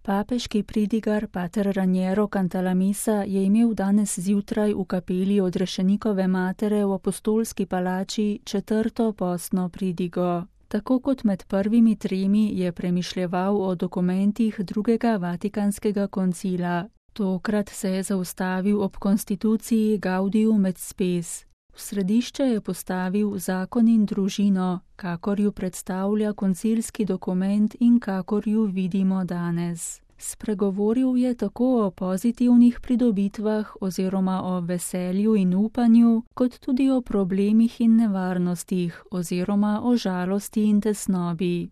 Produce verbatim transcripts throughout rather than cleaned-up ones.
Papeški pridigar pater Raniero Cantalamessa je imel danes zjutraj v kapeli Odrešenikove matere v Apostolski palači četrto postno pridigo. Tako kot med prvimi tremi je premišljeval o dokumentih drugega Vatikanskega koncila. Tokrat se je zaustavil ob konstituciji Gaudium et Spes. V središče je postavil zakon in družino, kakor ju predstavlja koncilski dokument in kakor ju vidimo danes. Spregovoril je tako o pozitivnih pridobitvah oziroma o veselju in upanju, kot tudi o problemih in nevarnostih oziroma o žalosti in tesnobi.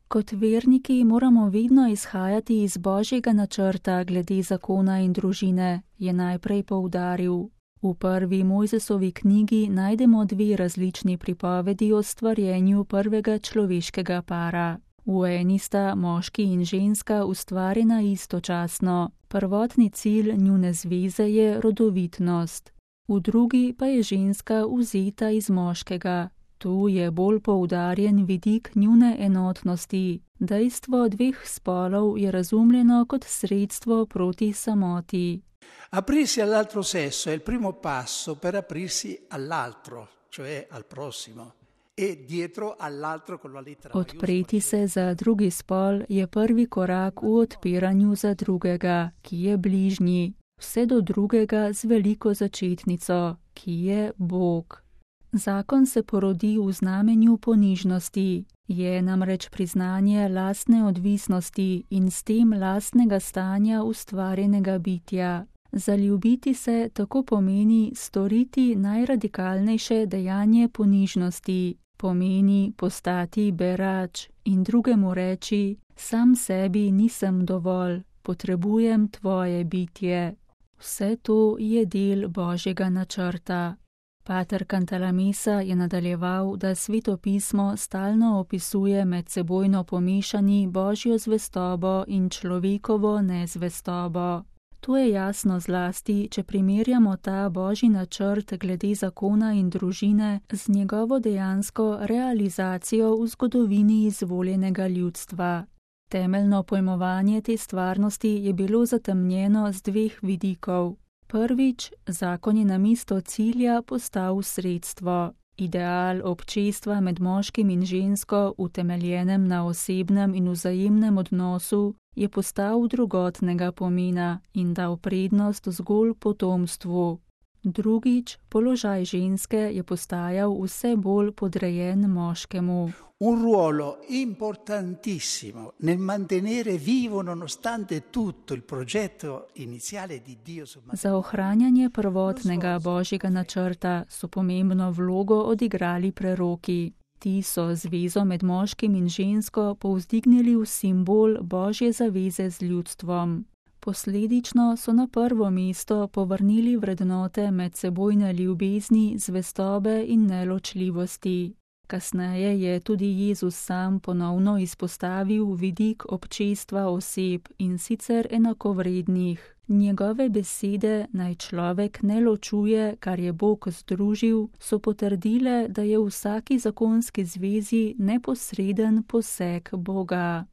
Kot verniki moramo vedno izhajati iz Božjega načrta glede zakona in družine, je najprej poudaril. V prvi Mojzesovi knjigi najdemo dve različni pripovedi o stvarjenju prvega človeškega para. V eni sta moški in ženska ustvarjena istočasno, prvotni cilj njune zveze je rodovitnost. V drugi pa je ženska vzeta iz moškega. Tu je bolj poudarjen vidik njune enotnosti. Dejstvo dveh spolov je razumljeno kot sredstvo proti samoti. Aprirsi all'altro sesso è il primo passo per aprirsi all'altro, cioè al prossimo, e dietro all'altro con la lettera. Odpreti se za drugi spol je prvi korak v odpiranju za drugega, ki je bližnji, vse do drugega z veliko začetnico, ki je Bog. Zakon se porodi v znamenju ponižnosti, je namreč priznanje lastne odvisnosti in s tem lastnega stanja ustvarjenega bitja. Zaljubiti se tako pomeni storiti najradikalnejše dejanje ponižnosti, pomeni postati berač in drugemu reči, sam sebi nisem dovolj, potrebujem tvoje bitje. Vse to je del Božjega načrta. Pater Cantalamessa je nadaljeval, da Sveto pismo stalno opisuje medsebojno pomešani Božjo zvestobo in človekovo nezvestobo. To je jasno zlasti, če primerjamo ta Božji načrt glede zakona in družine z njegovo dejansko realizacijo v zgodovini izvoljenega ljudstva. Temeljno pojmovanje te stvarnosti je bilo zatemnjeno z dveh vidikov. Prvič, zakon je namesto cilja postal sredstvo. Ideal občestva med moškim in žensko, utemeljenem na osebnem in vzajemnem odnosu, je postal drugotnega pomena in dal prednost zgolj potomstvu. Drugič, položaj ženske je postajal vse bolj podrejen moškemu. Un ruolo importantissimo nel mantenere vivo nonostante tutto il progetto iniziale di Dio sul matrimonio. Za ohranjanje prvotnega Božjega načrta so pomembno vlogo odigrali preroki. Ti so zvezo med moškim in žensko povzdignili v simbol Božje zaveze z ljudstvom. Posledično so na prvo mesto povrnili vrednote medsebojne ljubezni, zvestobe in neločljivosti. Kasneje je tudi Jezus sam ponovno izpostavil vidik občestva oseb in sicer enakovrednih. Njegove besede, naj človek ne ločuje, kar je Bog združil, so potrdile, da je v vsaki zakonski zvezi neposreden poseg Boga.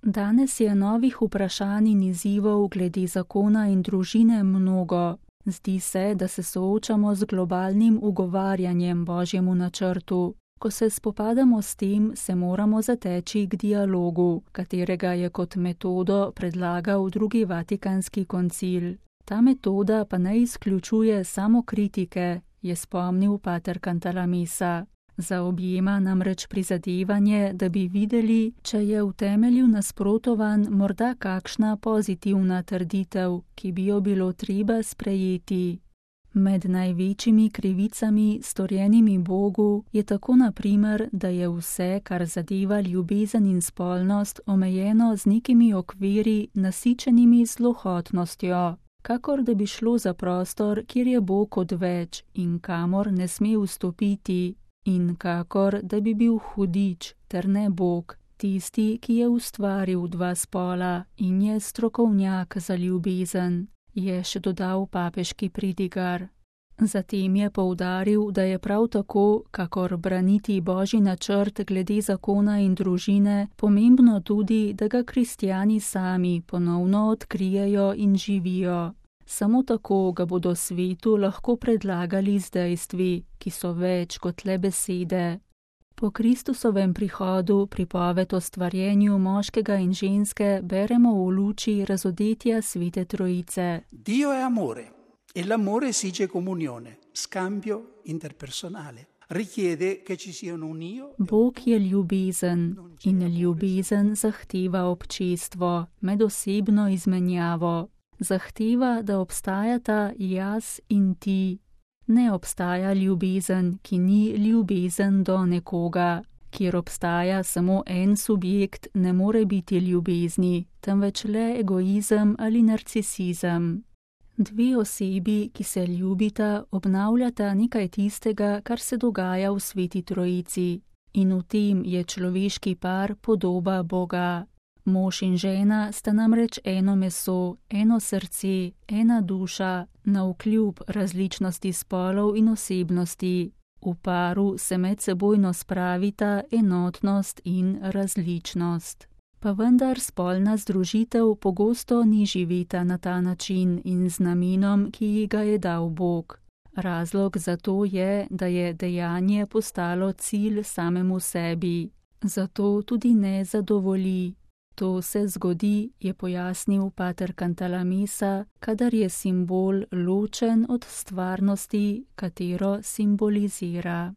Danes je novih vprašanj in izzivov glede zakona in družine mnogo. Zdi se, da se soočamo z globalnim ugovarjanjem Božjemu načrtu. Ko se spopadamo s tem, se moramo zateči k dialogu, katerega je kot metodo predlagal drugi Vatikanski koncil. Ta metoda pa ne izključuje samo kritike, je spomnil pater Cantalamessa. Zaobjema namreč prizadevanje, da bi videli, če je v temelju nasprotovan morda kakšna pozitivna trditev, ki bi jo bilo treba sprejeti. Med največjimi krivicami, storjenimi Bogu, je tako na primer, da je vse, kar zadeva ljubezen in spolnost, omejeno z nekimi okviri, nasičenimi z lohotnostjo, kakor da bi šlo za prostor, kjer je Bog odveč in kamor ne sme vstopiti, in kakor da bi bil hudič, ter ne Bog, tisti, ki je ustvaril dva spola in je strokovnjak za ljubezen, je še dodal papeški pridigar. Zatem je poudaril, da je prav tako, kakor braniti Božji načrt glede zakona in družine, pomembno tudi, da ga kristjani sami ponovno odkrijejo in živijo. Samo tako ga bodo svetu lahko predlagali z dejstvi, ki so več kot le besede. Po Kristusovem prihodu pripoved o stvarjenju moškega in ženske beremo v luči razodetja Svete Trojice. Dio è amore e l'amore esige comunione, scambio interpersonale. Richiede che ci sia un io. Bog je ljubezen in ljubezen zahteva občestvo, medosebno izmenjavo. Zahteva, da obstajata jaz in ti. Ne obstaja ljubezen, ki ni ljubezen do nekoga. Kjer obstaja samo en subjekt, ne more biti ljubezni, temveč le egoizem ali narcisizem. Dve osebi, ki se ljubita, obnavljata nekaj tistega, kar se dogaja v Sveti Trojici. In v tem je človeški par podoba Boga. Mož in žena sta namreč eno meso, eno srce, ena duša, navkljub različnosti spolov in osebnosti. V paru se medsebojno spravita enotnost in različnost. Pa vendar spolna združitev pogosto ni živeta na ta način in z namenom, ki ji ga je dal Bog. Razlog za to je, da je dejanje postalo cilj samemu sebi. Zato tudi ne zadovolji. To se zgodi, je pojasnil pater Cantalamessa, kadar je simbol ločen od stvarnosti, katero simbolizira.